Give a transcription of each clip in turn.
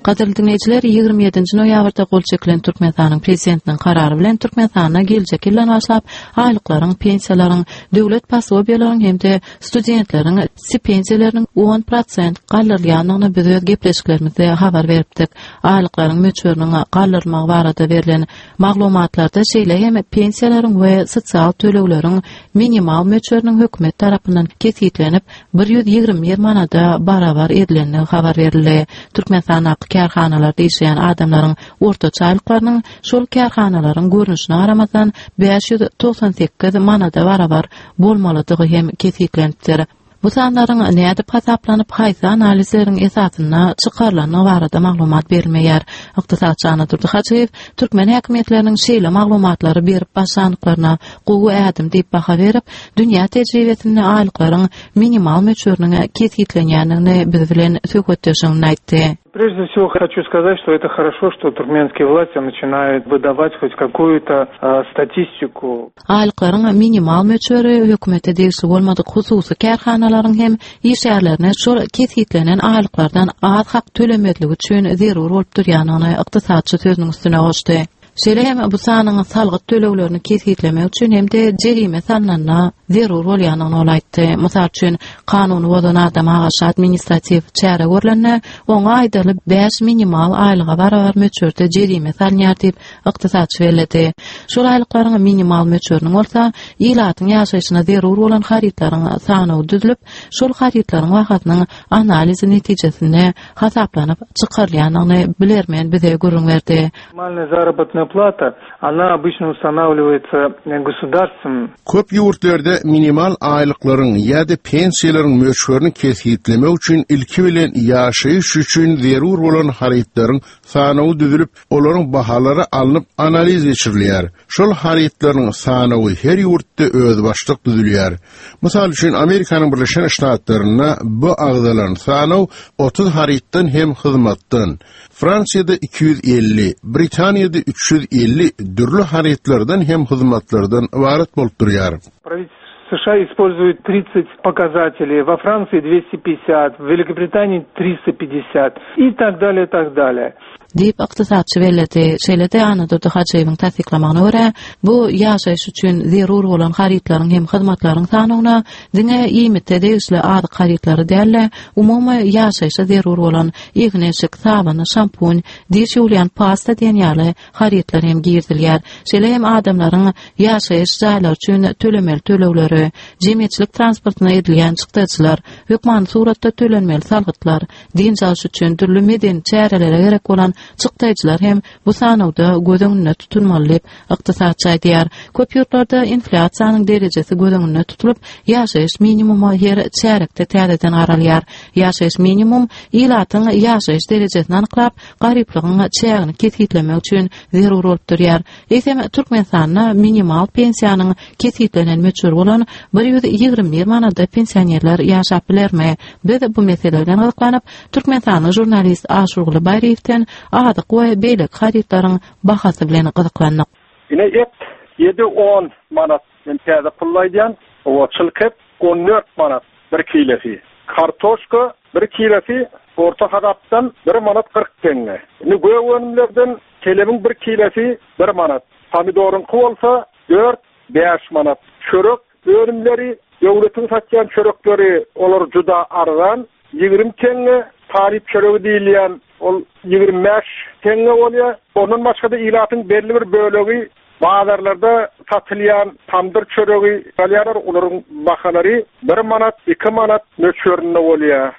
Gadyrly diňleýjiler, 27-nji noýabrda gol çekilen Türkmenistanyň Prezidentiniň Karary bilen Türkmenistanda geljek ýyldan başlap aýlyklaryň, pensiýalaryň, döwlet posobiýalaryň hem-de studentleriň stipendiýalarynyň on prosent galdyrylýandygyny biz öz gepleşiklerimizde habar beripdik. Aýlyklaryň möçberiniň galdyrylmagy barada berlen maglumatlarda şeýle hem pensiýalaryň we sosial tölegleriň minimal möçberiniň hökümet tarapyndan kesgitlenip, 121 manada barabar edilendigi habar berildi. Türkmenistandaky kärhanalarda işleýän adamlaryň ortaça aýlyklarynyň şol kärhanalaryň görnüşine garamazdan 598 manada barabar bolmalydygy hem kesgitlenipdir. Bu sanlaryň nädip hasaplanyp, haýsy analizleriň esasynda çykarylandygy barada maglumat berilmeýär. Ykdysatçy Annadurdy Hajyýew türkmen häkimiýetleriniň şeýle maglumatlary berip başlandyklaryna gowy ädim diýip baha berip, dünýä tejribesinde aýlyklaryň minimal möçberiniň kesgitlenýändigini biz bilen söhbetdeşliginde aýtdy. Прежде всего хочу сказать, что это хорошо, что туркменские власти начинают выдавать хоть какую-то статистику. Aýlyklaryň minimal möçberi hökümete degişli bolmadyk hususy kärhanalaryň hem işgärlerine şol kesgitlenen aýlyklardan az hak tölemezligi üçin zerur bolup durýandygyny ykdysatçy sözüniň üstüne goşdy. Şeýle hem bu sanyň salgyt töleglerini kesgitlemek üçin hem-de jerime salnanda zerur bolýandygyny ol aýtdy. Mysal üçin, kanuny bozan adama garşy administratiw çäre görlende, oňa aýdaly bäş minimal aýlyga barabar möçberde jerime salynýar diýip, ykdysatçy belledi. Şol aýlyklaryň minimal möçberiniň bolsa, ilatyň ýaşaýşyna zerur bolan harytlaryň sanawy düzlüp, şol harytlaryň bahasynyň analizi netijesinde hasaplanyp çykarylýandygyny bilermen bize gürrüň berdi. Minimalная заработная plata, ona obычно ustanawliwaýtsa gosudarstwom. Köp ýurtlarda minimal aýlyklaryň ýa-da pensiýalaryň möçberini kesgitlemek üçin ilki bilen ýaşaýyş üçin zerur bolan harytlaryň sanawy düzülip, olaryň bahalary alnyp analiz geçirilýär. Şol harytlaryň sanawy her ýurtda özbaşdak düzülýär. Mysal üçin, Amerikanyň Birleşen Ştatlarynda bu agzalan sanaw 30 harytdan hem hyzmatdan, Fransiýada 250, Britaniýada 350 dürli harytlardan hem hyzmatlardan ybarat bolup durýar. Правительство США использует 30 показателей, во Франции 250, в Великобритании 350 и так далее, так далее. Diýip, ykdysatçy belledi. Şeýle-de Annadurdy Hajyýewiň tassyklamagyna görä, bu ýaşaýyş üçin zerur bolan harytlaryň hem hyzmatlaryň sanawyna diňe iýmite degişli azyk harytlary däl-de, umumy ýaşaýşa zerur bolan egin-eşik, sabyn, şampun, diş ýuwulýan pasta diýen ýaly harytlar hem girizilýär. Şeýle hem adamlaryň ýaşaýyş jaýlary üçin tölemeli tölegleri, jemgyýetçilik transportyna edilýän çykdajylar, hökmany suratda tölenmeli salgytlar, dynç alyş üçin dürli medeni çärelere gerek bolan çykdaýjylar hem bu sanawda göz öňünde tutulmaly diýip, ykdysatçy aýdýar. Köp ýurtlarda inflýasiýanyň derejesi göz öňünde tutulyp, ýaşaýyş minimumy her çärýekde täzeden garalýar. Ýaşaýyş minimum ilatyň ýaşaýyş derejesini anyklap, garyplygyň çägini kesgitlemek üçin zerur bolup durýar. Eýsem, Türkmenistanda minimal pensiýanyň kesgitlenen möçberi bolan 121 manada pensionerler ýaşap bilermi? Biz bu mesele bilen gyzyklanyp, türkmenistanly žurnalist Aşyrguly Baýryýewden azyk we beýleki harytlaryň bahasy bilen gyzyklandyk. Ine et ýedi on manat men täze pulda aýdýan owa çylk et on dört manat bir kilesi kartoşka bir kilesi orta hasapdan bir manat 40 teňňe indi gök önümlerden kelemiň bir kilesi bir manat pomidoryňky bolsa dört bäş manat çörek önümleri döwletiň satýan çörekleri olar juda arzan 20 teňňe talyp çöregi diýilýän ol 25 teňňe bolýar. Ondan başga-da ilatyň belli bir bölegi bazarlarda satylýan tamdyr çöregi alýarlar. Olaryň bahalary 1 manat, 2 manat möçberinde bolýar.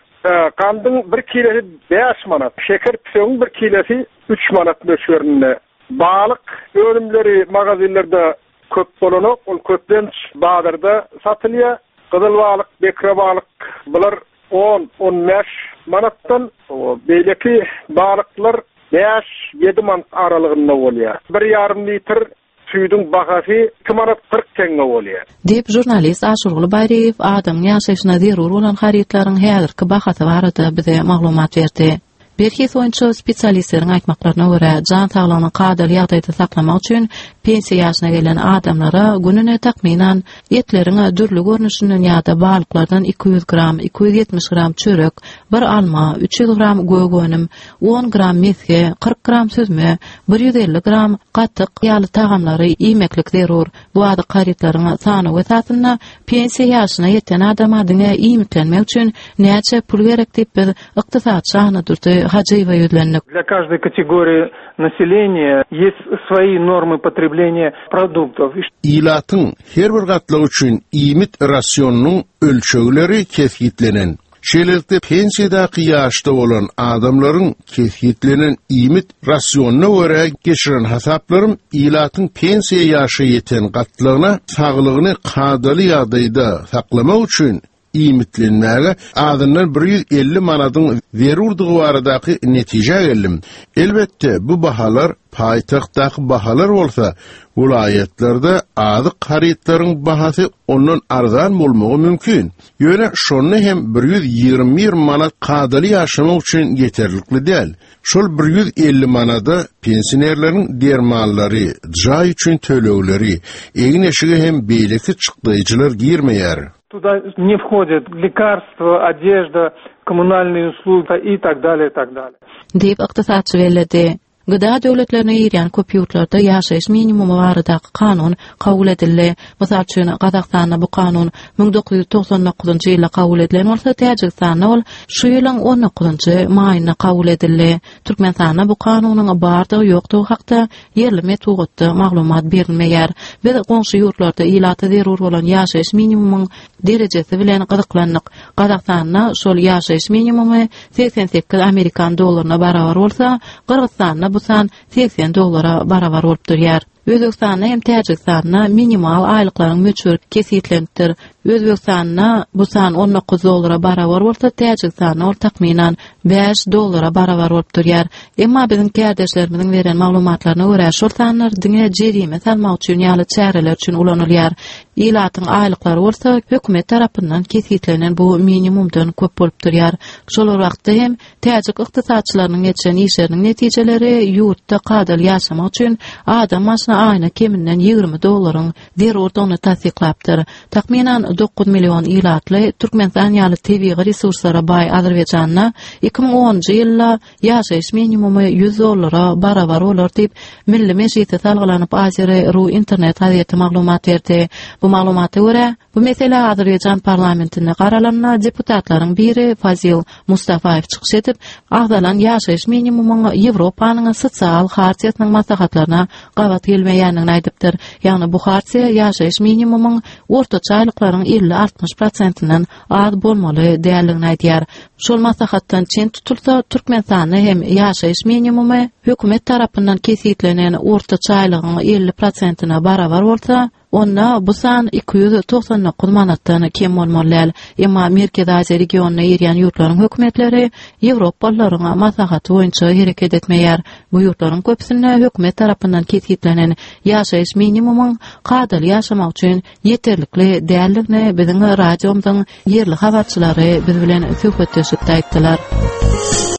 Gandyň bir kilesi 5 manat, şeker pisögiň bir kilesi 3 manat möçberinde. Balyk önümleri magazinlerde köp bolanok, ol köplenç bazarda satylýar. Gyzyl balyk, bekre balyk bular 10-15 manatdan, beýleki balyklar 5-7 manat aralygynda bolýar. 1,5 litr süýdüň bahasy 2 manat 40 teňňe bolýar. Diýip, žurnalist Aşyrguly Baýryýew adamyň ýaşaýşyna zerur bolan harytlaryň häzirki bahasy barada bize maglumat berdi. Berhiz boýunça spesialistleriň aýtmaklaryna görä, jan saglygyny kadaly ýagdaýda saklamak üçin pensiýa ýaşyna gelen adamlara gününe takmynan etleriň dürli görnüşinden ýa-da balyklardan 200 gram, 270 gram çörek, bir alma, 300 gram gök önüm, 10 gram mesge, 40 gram süzme, 150 gram gatyk ýaly tagamlary iýmeklik zerur. Bu azyk harytlaryň sanawy esasynda pensiýa ýaşyna ýeten adama diňe iýmitlenmek üçin näçe pul gerek diýip biz ykdysatçy Annadurdy Hajyýewe ýüzlendik. Для каждой kategoriýi naseleniýa ýest svoýi normy potrebleniýa produktov. Ilatyň her bir gatlagy üçin iýmit rasionynyň ölçegleri kesgitlenen. Şeýlelikde, pensiýadaky ýaşda bolan adamlaryň kesgitlenen iýmit rasionyna görä geçiren hasaplarym ilatyň pensiýa ýaşa ýeten gatlagyna saglygyny kadaly ýagdaýda saklamak üçin iýmitlenmäge azyndan 150 manadyň zerurdygy baradaky netijä geldim. Elbetde, bu bahalar paýtagtdaky bahalar bolsa, welaýatlarda azyk harytlaryň bahasy ondan arzan bolmagy mümkin. Ýöne şonda hem 121 manat kadaly ýaşamak üçin ýeterlikli däl. Şol 150 manada pensionerleriň dermanlary, jaý üçin tölegleri, egin-eşige hem beýleki çykdaýjylar girmeýär. Tuda ne whodit lekarstwa, odežda, kommunalnyý uslugi i tak dalýe, i tak dalýe. Diýip, ykdysatçy belledi. Gda döwletlerine girýän köp ýurtlarda ýaşaýyş minimumy baradaky kanun kabul edildi. Mysal üçin, Gazagystanda bu kanun 1999-njy ýylda kabul edilen bolsa, Täjigistanda ol şu ýylyň on dokuzynjy maýynda kabul edildi. Türkmenistanda bu kanunyň bardygy-ýokdugy hakda ýerli metbugatda maglumat berilmeýär. Biz goňşy ýurtlarda ilata zerur bolan ýaşaýyş minimumyň derejesi bilen gyzyklandyk. Gazagystanda şol ýaşaýyş minimumy 88 amerikan dollaryna barabar bolsa, Gyrgyzystanda bu san 80 dollara barabar bolup durýar. Özbegistanda hem Täjigistanda minimal aýlyklaryň möçberi kesgitlenipdir. Özbegistanda bu san 19 dollara barabar bolsa, Täjigistanda ol takmynan 5 dollara barabar bolup durýar. Emma biziň kärdeşlerimiziň beren maglumatlaryna görä, şol sanlar diňe jerime salmak üçin ýaly çäreler üçin ulanylýar. Ilatyň aýlyklary bolsa hökümet tarapyndan kesgitlenen bu minimumdan köp bolup durýar. Şol bir wagtda hem täjik ykdysatçylarynyň geçiren işleriniň netijeleri ýurtda kadaly ýaşamak üçin adam başyna aýyna keminden 20 dollaryň zerurdygyny tassyklapdyr. Takmynan 9 million ilatly Türkmenistan ýaly tebigy resurslara baý Azerbaýjanda 2010-njy ýylda ýaşaýyş minimumy 100 dollara barabar bolar diýip, Milli Mejlise salgylanyp Azeri. Ru internet gazeti maglumat berdi. Bu maglumata görä, bu mesele Azerbaýjan parlamentinde garalanda deputatlaryň biri Fazil Mustafaýew çykyş edip, agzalan ýaşaýyş minimumyň Ýewropanyň sosial hartiýasynyň maslahatlaryna gabat gelmeýändigini aýdypdyr. Ýagny bu hartiýa ýaşaýyş minimumyň ortaça aýlyklaryň 50-60 prosentinden az bolmaly däldigini aýdýar. Şol maslahatdan çen tutulsa, Türkmenistanda hem ýaşaýyş minimumy hökümet tarapyndan kesgitlenen ortaça aýlygyň 50 prosentine barabar bolsa, onda bu san 299 manatdan kem bolmaly däl. Emma Merkezi Aziýa regionyna girýän ýurtlaryň hökümetleri ýewropalylaryň maslahaty boýunça hereket etmeýär. Bu ýurtlaryň köpüsinde hökümet tarapyndan kesgitlenen ýaşaýyş minimumyň kadaly ýaşamak üçin ýeterlikli däldigini biziň radiomyzyň ýerli habarçylary biz bilen söhbetdeşlikde aýtdylar.